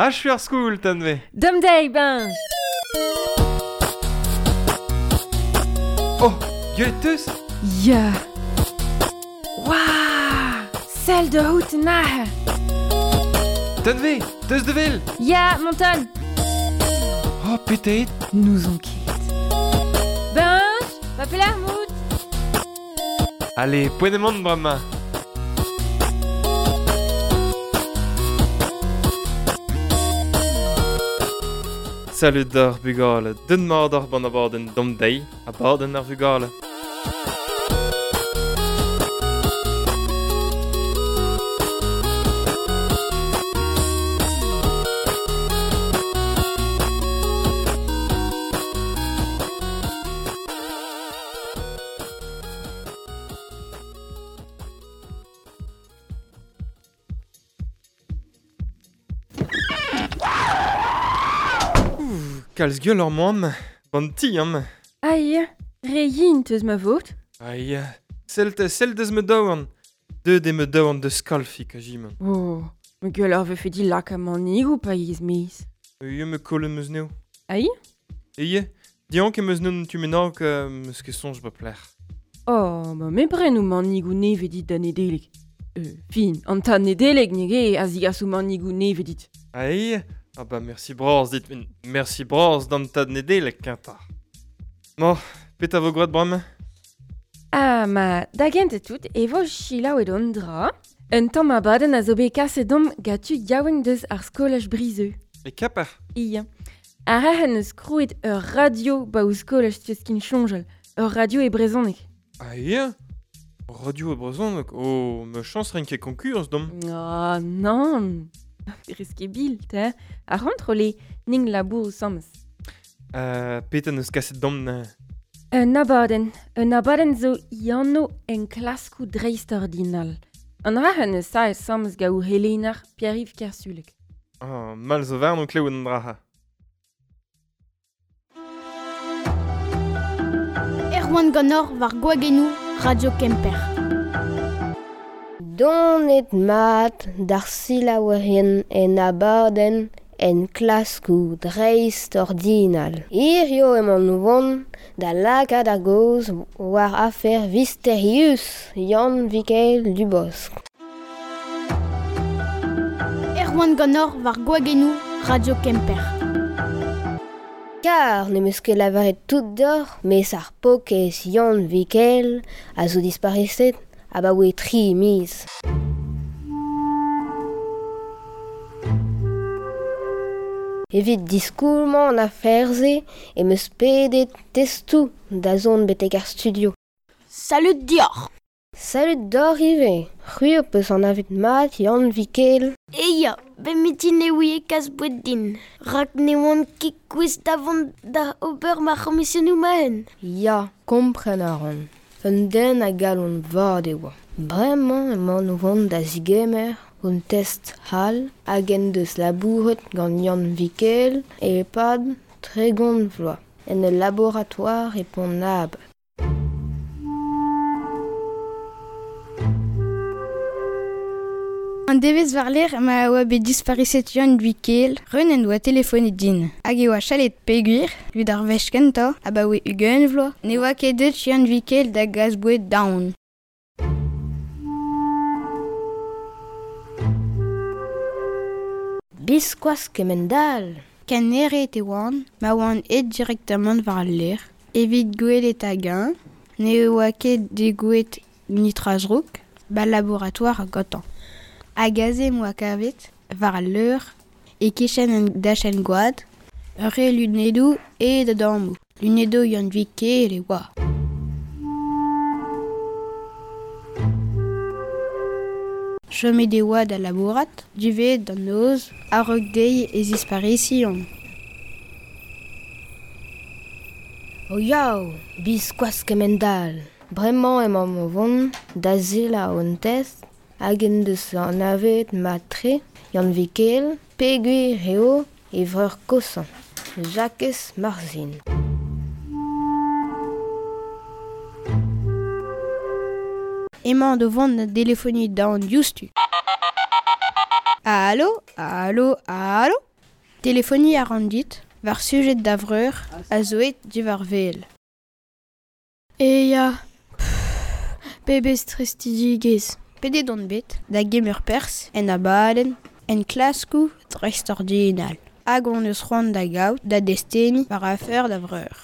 Achu ar skol, Tanve. Dom deiz, Benj. Oh, gwelet teus? Ya. Waouh Sell da out aze. Tanve, teus de vel? Ya, Monton. Oh, petet. N'ouzon ket. Benj, va pelec'h mout? Allez, poent emaon bremañ. Salud d'ar bugale, den mat ar ban abadenn dom deiz, abadenn ar vugale. Kalz gwell ur moan, ban ti am. Aïe, re yin teus ma vot. Aïe, sell sell deus ma daouarn. Deut eo ma daouarn deus kalfik a jiman. Oh, me gwell ur vefe di lak amanig ou pa yez miz. Ie me kollet meus neo. Aïe? Ie, diank em eus neun tu mennak meus ket soñj ba plec'h. Oh, ma me bren ou manig ou neve dit da Nedeleg. Fin, an tad Nedeleg nege a zigas ou manig ou neve dit. Aïe, ah bah merci bras dit, merci bras d'an tad Nedeleg kentañ. Bon, petra vo gwrad bremañ? Ah, ma da gent tout e vo selaouet an dra. Un tamm abadenn a zo bet kaset domp gant tud yaouank deus ar skolaj Brizeux. E Kemper? Ia. Ar c'herc'henn eus krouet ur radio ba ouzh skolaj teus kin soñjal. Ur radio e brezhoneg. Ah ia? Radio e brezhoneg? Oh, ma chañs ren ket konkurs domp. Ah, nann. Rez ket bil, te. Ar c'hontrol eo, ning labour asambles. Petra n'eus kaset domp neuze? Un abadenn. Un abadenn zo anv enklaskoù dreistordinal. An dra-c'henn eus saet asambles gant o helener Pierre-Yves Kersulek. Ah, mal zo warn o klevet an dra-c'ha. Erwan Ganor war Gwagennoù, Radio Kemper. Donet mat d'ar selaouerien en abadenn enklaskoù dreistordinal. Hirio emaon o vont da lakaat ar gaoz war afer Visterius Yann Vikel Dubosc. Erwan Ganor war Gwagennoù, Radio Kemper. Kar ne meus ket lavaret tout deoc'h, mes ar paourkaezh Yann Vikel a zo dispariset abaoe 3 miz. Evit diskoulmañ an afer-se em eus pedet testoù da zont betek ar studio. Salud deoc'h. Salud deoc'h ivez. C'hwi ho peus anavet mat Yann Vikel. E ya, bet mitin e ouie kas boued din. Rak ne oan ket gouest da vont da ober ma c'homisionoù ma-un. Ya, kompren a ran. Un den a galon vat e oa. Bremañ emaon o vont da zigemer un test all hag en deus labouret gant Yann Vikel e-pad 30 vloaz en ul laboratoire e Pont-'n-Abad. An devezh war-lerc'h ma oa bet dispariset Yann Vikel, Reun en doa telefonet din. Hag e oa chalet peogwir, evit ar wech kentañ, abaoe 20 vloaz, ne oa ket deuet Yann Vikel da gas boued daon. Biskoazh kemend-all. Ken eret e oan, ma oan aet direktamant war al lec'h, evit gwelet hag-eñ, ne oa ket degouezhet netra zrouk, ba laboratoire gantañ. Hag aze em boa kavet, war al leur, e-kichen un dachenn goad, ur re lunedoù aet a-dammoù. Lunedoù Yann Vikel e oa. Chomet e oa da labourat, diwezhat d'an noz, a-raok dezhi e zisparision. O yaou, biskoazh kemend-all. Bremañ emaomp o vont da selaou un test hag en deus anavezet mat-tre Yann Vikel, peogwir eo e vreur kosañ, Jakez Marzin. Emañ o vont da delefoniñ daon diouzhtu. Alo, alo, alo. Telefoniñ a ran dit war sujet da vreur a zo aet diwar wel. E ya, pebezh tristidigezh. Pedet on bet da gemer perzh en abadenn enklaskoù dreistordinal. Hag on eus c'hoant da gaout da desteni war afer da vreur.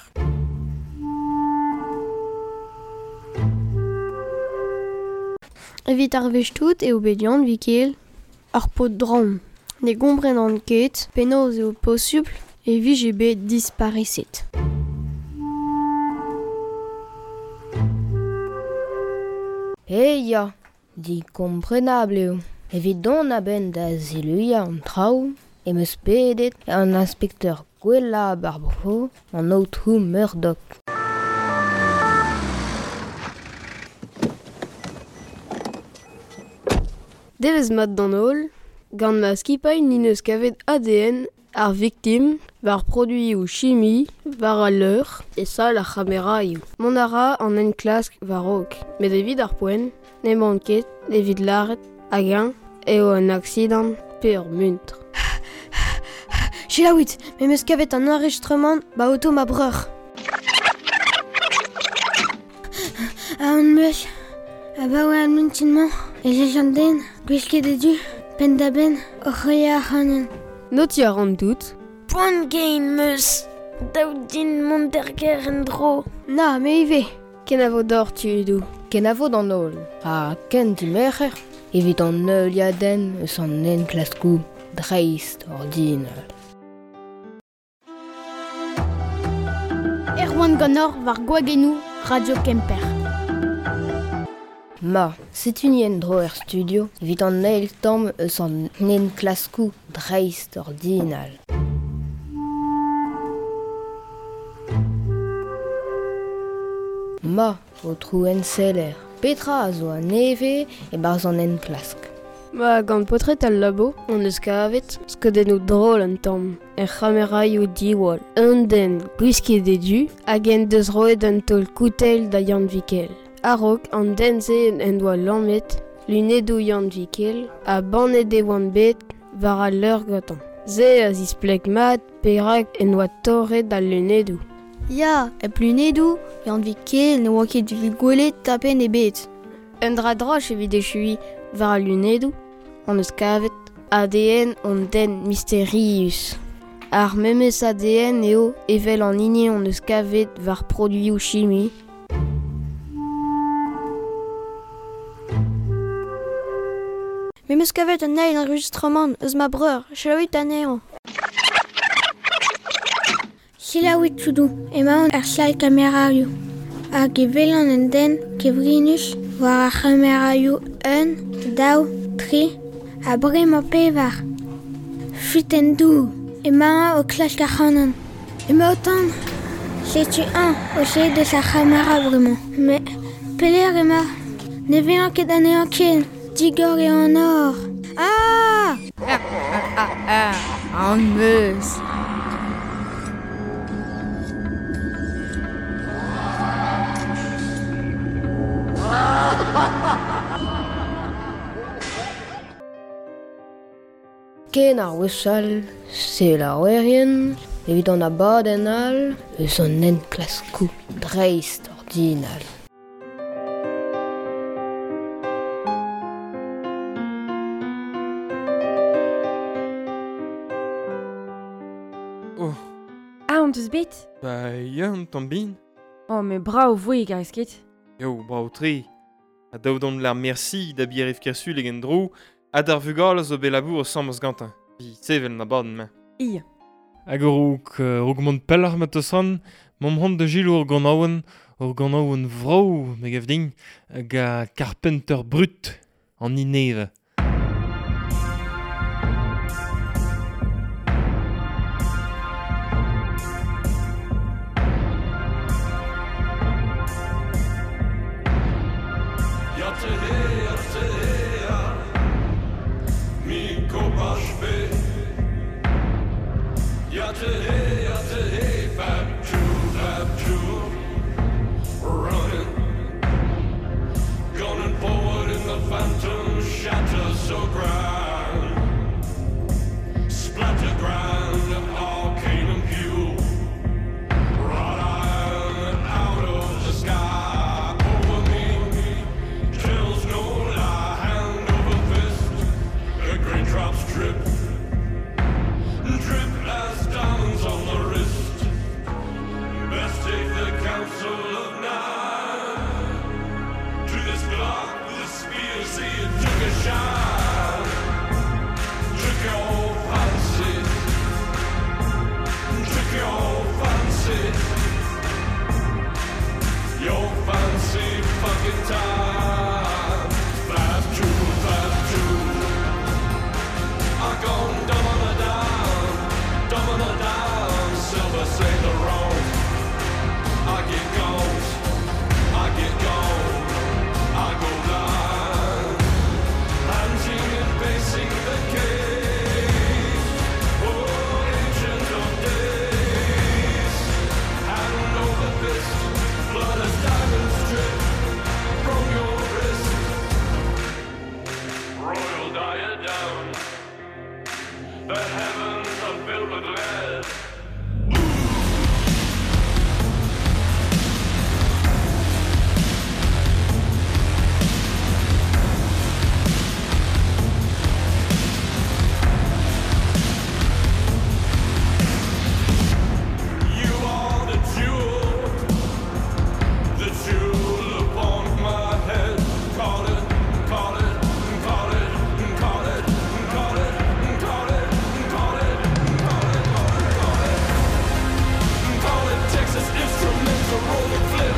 Evit ar wech tout eo bet Yann Vikel ar paotr dramm. Ne gomprenan ket penaos eo posupl e vije bet dispariset. E ya, digomprenabl eo. Evit dont a-benn da ziluiañ an traoù em eus pedet an inspekteur gwellañ ar bro, an aotrou Murdoch. Devezh mat d'an holl, gant ma skipailh n'int eus kavet ADN ar viktim war produioù chimi war al leur e sal ar c'hameraioù. Mont a ra an enklask war-raok, met evit ar poent n'emaon ket evit lâret hag-eñ eo un aksidant pe ur muntr. Selaouit, me 'm eus kavet an enregistrement ba oto ma breur. Aon 'meus abaoe ar mintin-mañ ez eus an den gwisket e du penn-da-benn oc'h heuliañ ac'hanon. Notiñ a ran tout. Poan gein 'm eus. Dav din mont d'ar gêr en-dro. Na, me ivez. Kenavo deoc'h tudoù. Kenavo d'an holl. Ha ken dimerc'her evit an heuliadenn eus an enklaskoù dreist-ordinal. Erwan ganeoc'h war gwagennoù Radio Kemper. Ma, setu ni en-dro er studio evit an eil tamm eus an enklaskoù dreist-ordinal. Ma, aotrou enseller, petra a zo a-nevez e-barzh an enklask? Ma, gant paotred al labo hon eus kavet skeudennoù drol un tamm er c'hameraioù diwall. Un den gwisket e du hag en deus roet un taol koutell da Yann Vikel. A-raok an den-se en doa lammet lunedoù Yann Vikel ha bannet e oant bet war al leur gantañ. Se a zispleg mat perak en doa torret al lunedoù. Ya, hep lunedoù, Yann Vikel ne oa ket evit gwelet tapenn ebet. Un dra droch evit echuiñ war al lunedoù hon eus kavet ADN hon den misterius. Ar memes ADN eo evel an hini hon eus kavet war produioù chimi. Me 'm eus kavet un eil enregistrement eus ma breur, selaouit anezhañ. Selaouit tudoù, emaon er sal kameraioù. Hag e welan un den kevrinus war ar c'hameraioù un, daou, tri, ha bremañ pevar. Fuitenn dour, emañ o klask ac'hanon. Emañ o tont. Setu eñ o sellet deus ar c'hamera bremañ. Met pelec'h emañ? Ne welan ket anezhañ ken. Digor eo an nor. Ah! Aon 'meus. Ken ar wech all, selaouerien, evit an abadenn all eus an enklaskoù dreist-ordinal. Oh. Ah, on deus bet? Ba ya, un tamm bihan. Oh, met brav 'voe, garez ket? Eo, brav-tre. Ha dav dont lar merci da Pierre-Yves Kersulek en-dro ha d'ar vugale zo bet labour asambles gantañ. Evit sevel an abadenn-mañ. Ia. Hag a-raok a-raok mont pelloc'h ma teus-c'hoant, m'omp c'hoant da selaou ur ganaouenn, ur ganaouenn vrav, me gav din, hag a Carpenter Brut, an Nineve. Shatter so grand, splatter grand. The heavens are filled with red. You are the jewel, the jewel upon my head. Call it, call it, call it, call it, call it, call it, call it, call it, call it, call it. Call it Texas Instruments, a rolling flip.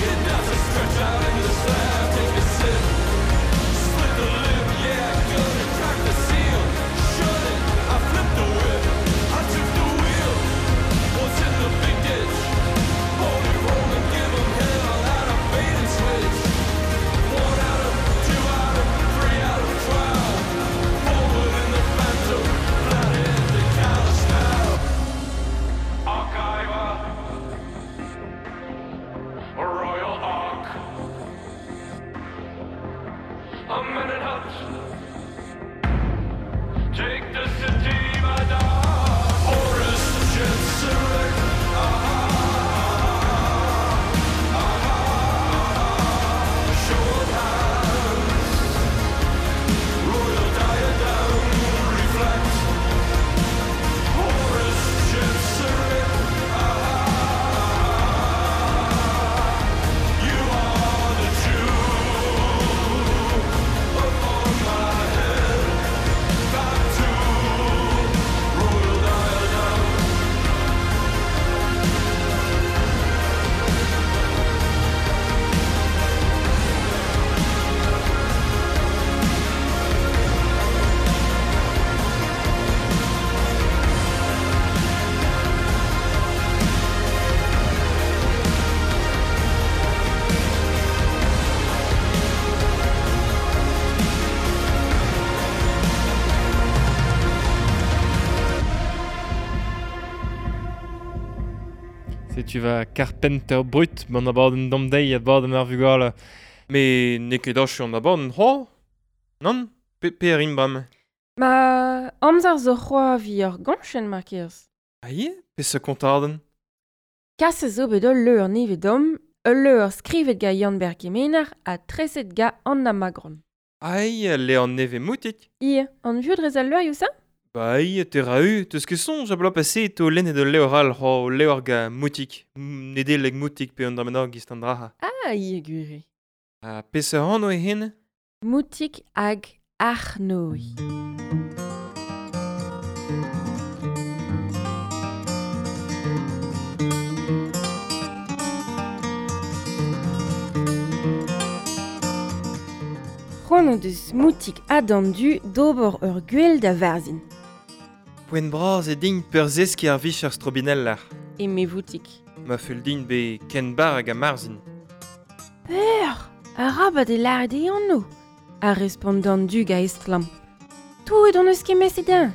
It doesn't stretch out in the slab. Take a sip, split the lip, yeah, good. Crack the seal, shut it. I flipped the whip, I took the wheel. What's in the big ditch? Holy roller, give 'em hell out of bait and switch. 1 out of, 2 out of, 3 out of 12. Forward in the Phantom, flat in the Kalispell. Archiver, a royal ark, a man in hut. Take the city by dark. Horus Jenseric. Show of hands. Royal diadem reflect. Horus Jenseric. You are the jewel upon my head. Back to royal diadem. Setu va Carpenter Brut, ban abadenn damdeiz abadenn ar vugale. Me n'eo ket achu an abadenn, ho? Non? Pe a rin bremañ? Ma amzer zo c'hoa vi ur gañchenn mar kerz. Ah ye? Peseurt kontadenn? Kas zo bet ul leur nevez dom, ul leur skrivet ga Yann-Ber Kemener ha treset ga Anna Magron. Ai, le an nevez moutik. Ie, an vieux drez al leur you sa? Ba ai, te ra-u, teus ket soñj a bloaz pase to lennet ul levr all, ho levr ga moutik. Nedeleg moutik pe an dra gist an draha. Ah, ie gwir. Ha peseurt anv eo hen? Moutik hag Arc'h Noe. C'hoant o deus moutik ha du d'ober ur gwell da varzhin. Poent bras e din peurzeskiñ ar vicher strobineller. Eme voutik. Ma fell din be ken bar hag a marzhin. Peur! Arabat e lâret e anv, a respont an dug a estlamm. Touet hon eus ket meset eñ.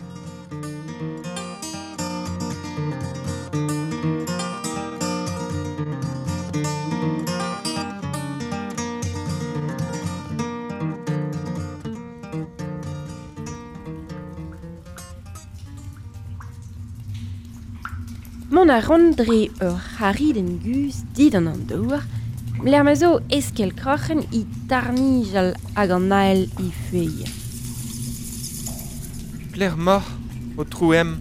Mont a ran dre ur c'haridenn guzh didan an douar, lec'h ma zo eskel kroc'hen i tarnijal hag an ael i fuilh. Pelec'h moc'h, o trouem?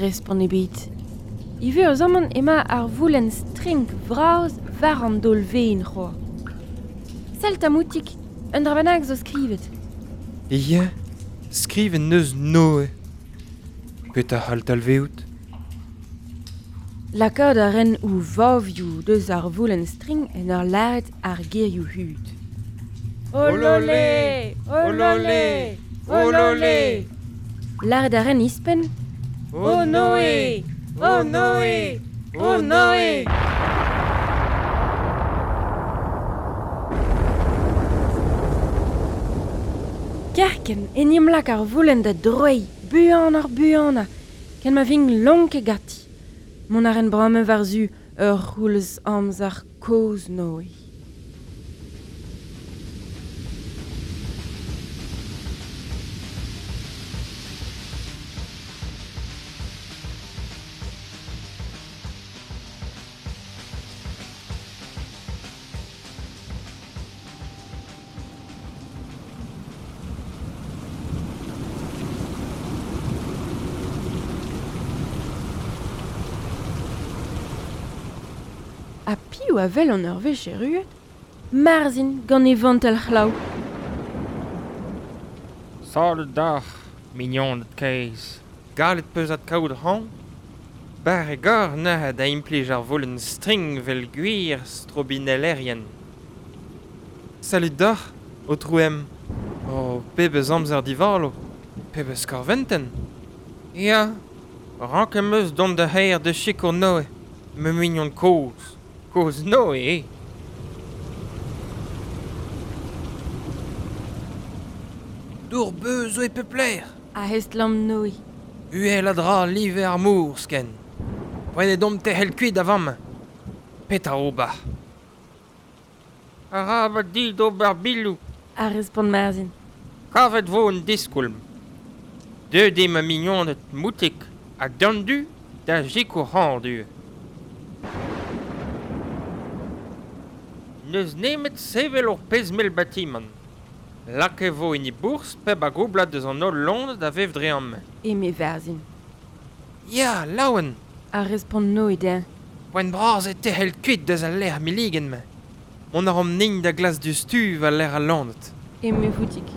Respont ebet. Ivez eus amañ emañ ar voulenn strink vras war an daol-vaen c'hoazh. Sell ta moutik, un dra bennak zo skrivet. Ya, skrivet neus Noe. Petra c'hall talvezout? Lakaat a ren o vavioù deus ar voulenn string en ur lâret ar gerioù hud. Ololé! Ololé! Ololé! Lâret a ren ispenn. O Noe! O Noe! O Noe! Kerkent en em lak ar voulenn da droiñ, buan ar buanañ, ken ma vin lonket ganti. Mont a ren bremañ war-zu ur c'houlz amzer kozh Noe. Ha piv a wel an ur wech erruet? Marzhin gant e vantell c'hlav. Salud deoc'h, mignoned kaezh. Gallet 'peus adkaout ac'hann ? Barrek oc'h neuze da implij ar volenn strink 'vel gwir strobinellerien. Salud deoc'h, aotrou M. O, pebezh amzer divalo ! Pebezh korventenn ! Ya, rank em eus dont d'ar c'hêr da sikour Noe, ma mignon kozh. Kozh Noe eo. Dour-beuz zo e pep lec'h. A estlamm Noe. Uhel a dra live ar mor, sken. Poent eo deomp tec'hel kuit a vamm. Petra ober ? Arabat dit ober biloù. A respont Marzhin. Kavet 'vo un diskoulm. Deuet eo ma mignoned Moutig ha Dandu da sikour ac'hann N'eus nemet sevel ur pezh mell batimant. Lakaet e vo en e bourzh pep a goublad eus an holl loened a vev dre amañ. Eme Varzhin. Ya, laouen ! A respont Noe dezhañ. Poent bras eo tec'hel kuit deus al lec'h milligen-mañ. Mont a ran nin da glask diouzhtu war-lerc'h al loened. Eme Voutig.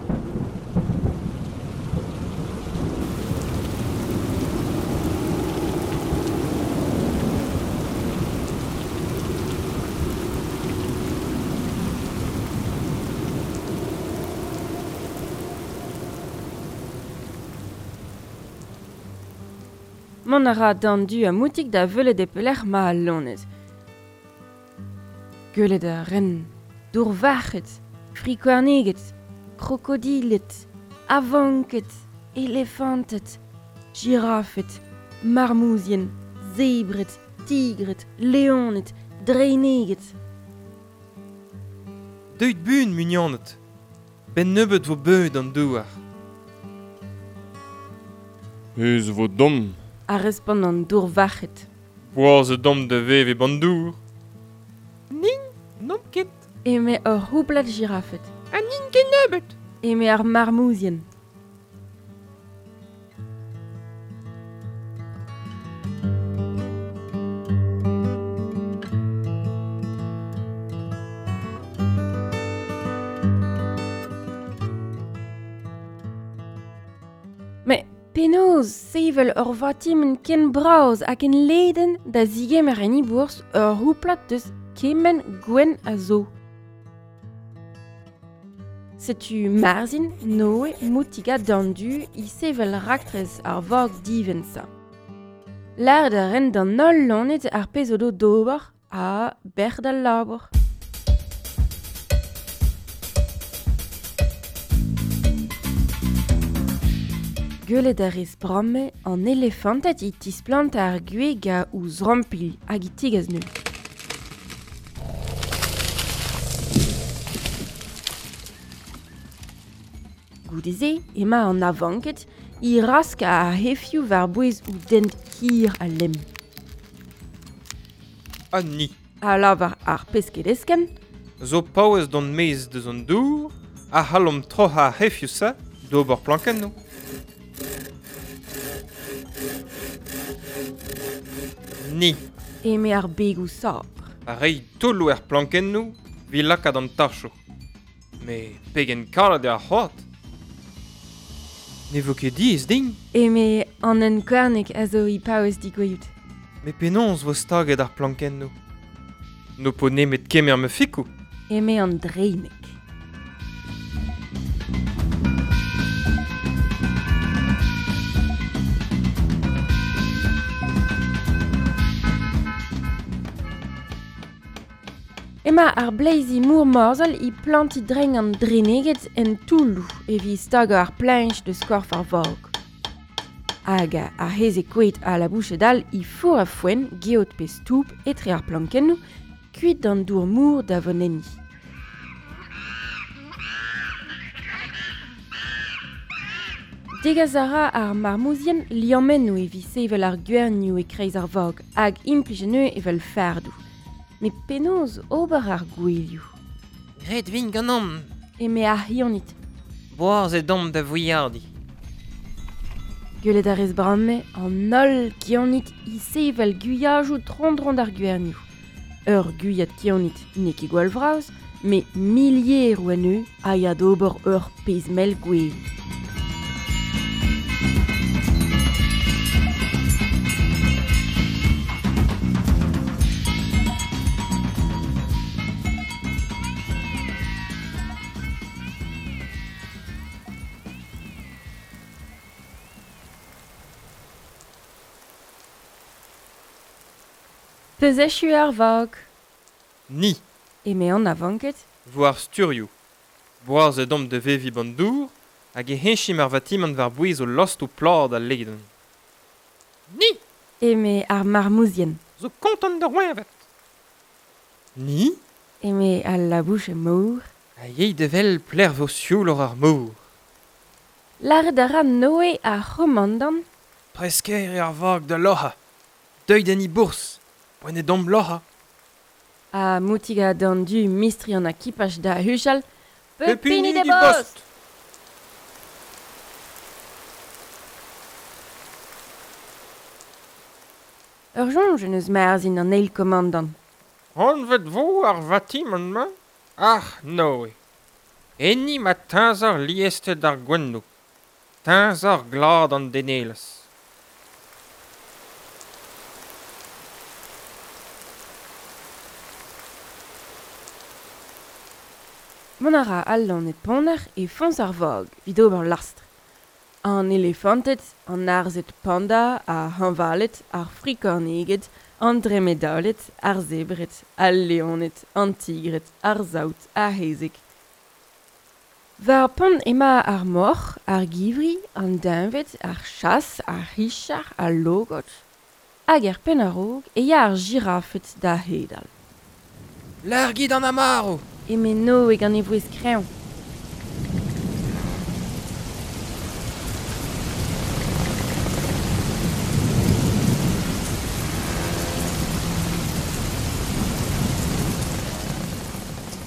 Mont a ra d'an du ha Moutig da welet e pelec'h 'ma al loened. Gwelet a ren dourvarc'hed, frikouarneged, krokodiled, avanked, elefanted, jirafed, marmouzien, zebred, tigred, leoned, dreineged. Deuit buan, mignoned ! 'Benn nebeut 'vo beuzet an douar. Ez vo domm. A respont an dourvarc'hed. Boaz eo deomp da vevañ e ban dour. Nin, n'omp ket. Eme ur c'houblad jirafed. Ha n'int ket nebeut. Eme ar marmouzien. Met penaos sevel ur vatimant ken bras ha ken ledan da zigemer en he bourzh ur c'houplad deus kement gwenn a zo? Setu Marzhin, Noe, Moutig ha Dandu e sevel raktres ar vag divent-se. Lâret a raent d'an holl loened ar pezh o do d'ober ha bec'h d'al labour. Gwelet a rez bremañ an elefanted e tisplantañ ar gwez gant o zrompilh hag e tegas anezho. Goude-se emañ an avanked e rask ar c'hefioù war-bouez o dent hir ha lemm. Ha ni. A lavar ar pesked eskemm. Zo paouez dont maez deus an dour a c'hallomp troc'hañ ar c'hefioù-se d'ober plankennoù. Ni. Eme ar begoù sabr. A reiñ toulloù er plankennoù evit lakaat an tachoù. Met pegen kalet eo ar c'hoad ! Ne vo ket diaes din. Eme an unkorneg a zo e paouez degouezhout. Met penaos 'vo staget ar plankennoù ? N'ho po nemet kemer ma fikoù. Eme an dreineg. Emañ ar bleizi mor-morzhol e plantiñ drein an dreneged en toulloù evit stagañ ar pleñch deus korf ar vag. Hag ar c'hezeg koad ha labouched all e four a foenn, geot pe stoub etre ar plankennoù, kuit d'an dour-mor da vont enni. Degas a ra ar marmouzien liammennoù evit sevel ar gwernioù e-kreiz ar vag hag implij anezho evel fardoù. Met penaos ober ar gouelioù ? Graet 'vint ganeomp. Eme ar c'hionid. Boaz eo deomp da vouilhadiñ. Gwelet a rez bremañ an holl gionid e sevel gwiajoù tro-dro d'ar gwernioù. Ur gwiad kionit n'eo ket gwall vras, met milieroù anezho a ya d'ober ur pezh mell gwele. Peuzechu ar vag. Ni. Eme an avanket. Vo ar sturioù. Boaz edomp da veviñ b'an dour hag e heñchimp ar vatimant war-bouez o lostoù plat ha ledan. Ni. Eme ar marmouzien. Zo kontant da roeñvat. Ni. Eme al labous mor. A yey da wel pelec'h vo siouloc'h ar mor. Lâret a ra Noe ar c'homandant. Prest-kaer eo ar vag da loc'hañ. Deuit en he bourzh. Poent eo deomp loc'hañ. Ha moutigañ d'an du mistri an akipaj da huchal Pep hini d'e bost! Ur soñj en deus Marzhin an eil komandant. Anvet 'vo ar vatimant-mañ Arc'h Noe. Enni 'ma teñzor liested ar gouennoù, teñzor glad an denelezh. Mont a ra al loened ponner e foñs ar vag evit ober lastr. An elefanted, an arzhed panda, ar hañvaled, ar frikorneged, an dremedaled, ar zebred, al leoned, an tigred, ar saout, ar c'hezeg. War pont emañ ar moc'h, ar givri, an deñved, ar chas, ar c'hichar, al logod. Hag er penn a-raok e ya ar jirafed da hedal. Largit an amaro! Eme Noe gant e vouezh kreñv.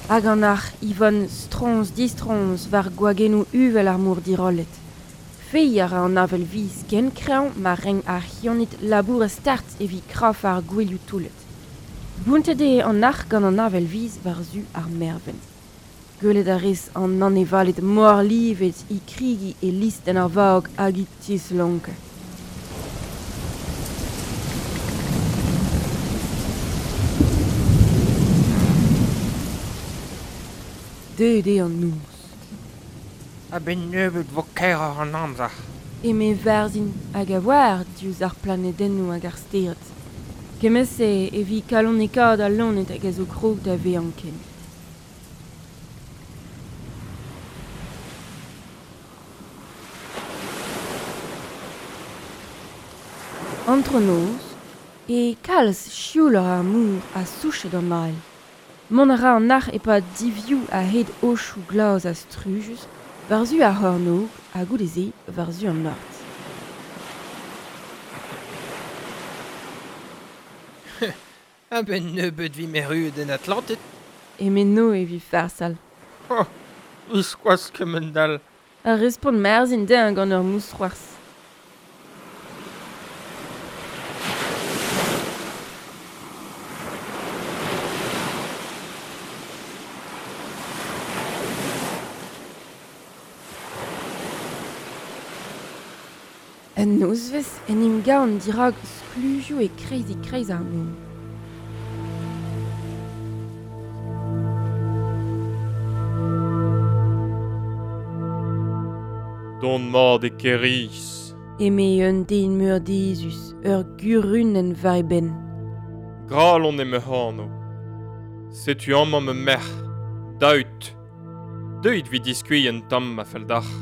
Hag an arc'h Yvonne stroñs-distroñs war gwagennoù uvel ar mor dirollet. Feiñ a ra an avel viz ken kreñv ma renk ar c'hionid labourat start evit krafañ ar gouelioù toullet. Bountet eo an arc'h gant an avel viz war-zu ar mervent. Gwelet a rez an anevaled morlivet e kregiñ e listenn ar vag hag e tislonkañ. Deuet eo an noz. A-benn nebeut 'vo kaeroc'h an amzer. Eme Varzhin hag a oar diouzh ar planedennoù hag ar stered. Kement-se evit kalonekaat al loened hag a zo krog da vezañ ken. Antronoz eo kalz siouloc'h ar mor ha souchet an ael. Mont a ra an arc'h e-pad divioù a-hed aochoù glas ha strujus war-zu ar c'hornôg ha goude-se war-zu an norzh. A-benn nebeut 'vimp erruet en Atlanted. Eme Noe evit farsal. Oh, biskoazh kement-all. A respont Marzhin dezhañ gant ur mousc'hoarzh. Un nozvezh en em gavan dirak skluzioù e-kreiz-e-kreiz ar mor. Dont mat e Kêr-Iz. Eme un den meurdezus, ur gurunenn war e benn. Gralon eo ma anv. Setu amañ ma merc'h, Daoud. Deuit evit diskuilh un tamm ma fell deoc'h.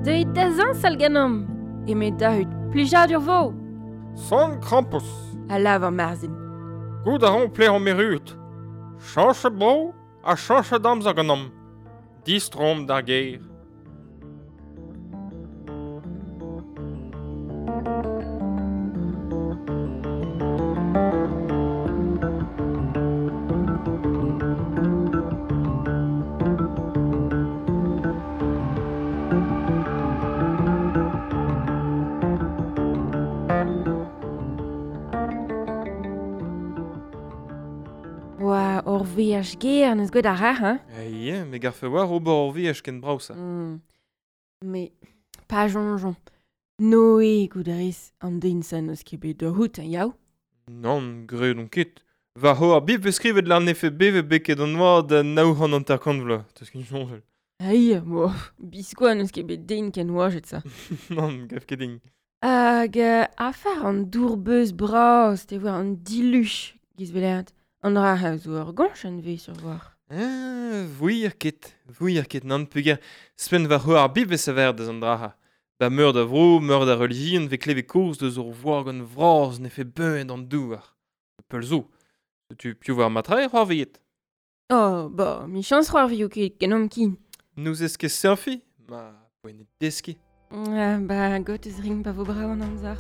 Deuit da zañsal ganeomp, eme Dahud, plijadur 'vo! Son Krampouezh! A lavar Marzhin. Goût a ran pelec'h omp erruet. Chañchet bro ha chañchet amzer ganeomp. Distroomp d'ar gêr. veaj ger neus gwet ar rac'h, hein? Eh, me garfe war ober ur veaj ken brav-sa. Me, pa jonjon. Noe gout a rez an den sa neus ket bet da c'hout, hein, yaou? Nann, graet on ket. Va ho ar bib skrivet l'an efe beve beket an oad da 950 vloaz. Teus ket soñjal. Ai, bo, biskoazh n'eus ket bet den ken oajet sa. Nann, gav ket din. Hag afer an dour-beuz bras, te war an diluch, giz velert. An dra a zo ur gañch vez sur war. Vouir ket nann peogwir spenn va ho ar bib vez aver deus an dra. Ba meur da vro, meur da relijion vez kleve koz deus ur voar gant vras ne fe beun an douar. Peul zo. Setu piv war matra e c'hoarviet. Oh, ba, mi chans c'hoarvio ket genomp kin. Nous ez ket surfi? Ma, poent eo deskiñ. Ba, got eus ring pa vo brav an amzer.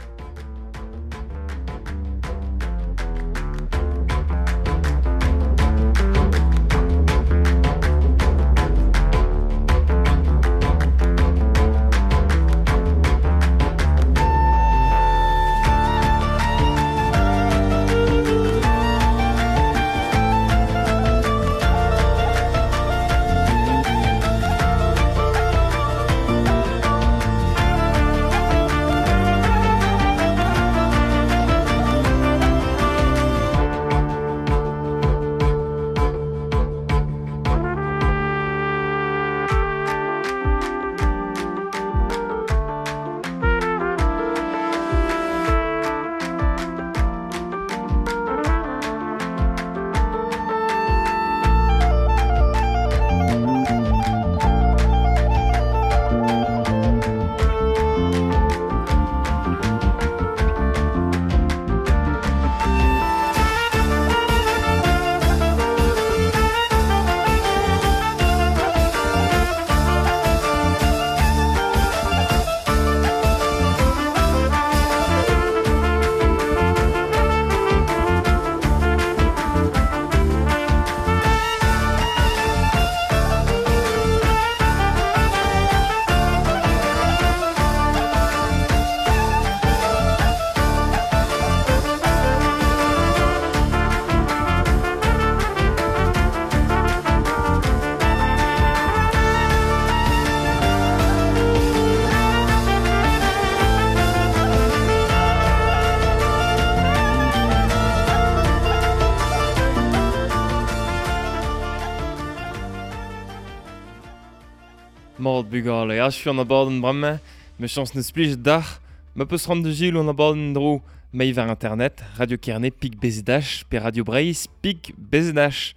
Mord bugale, achu an abadenn bremañ, me chañs neus plij dac'h, ma peus ran de gil an abadenn dro, mei war internet, Radio Kerne pik bezdach, pe Radio Breizh pik bezdach.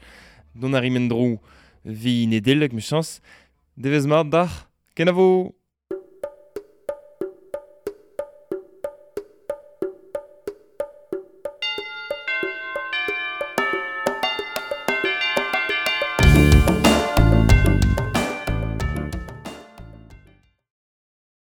Don ar imen dro, vi nedelek me chañs, devez mard dac'h, kenavo!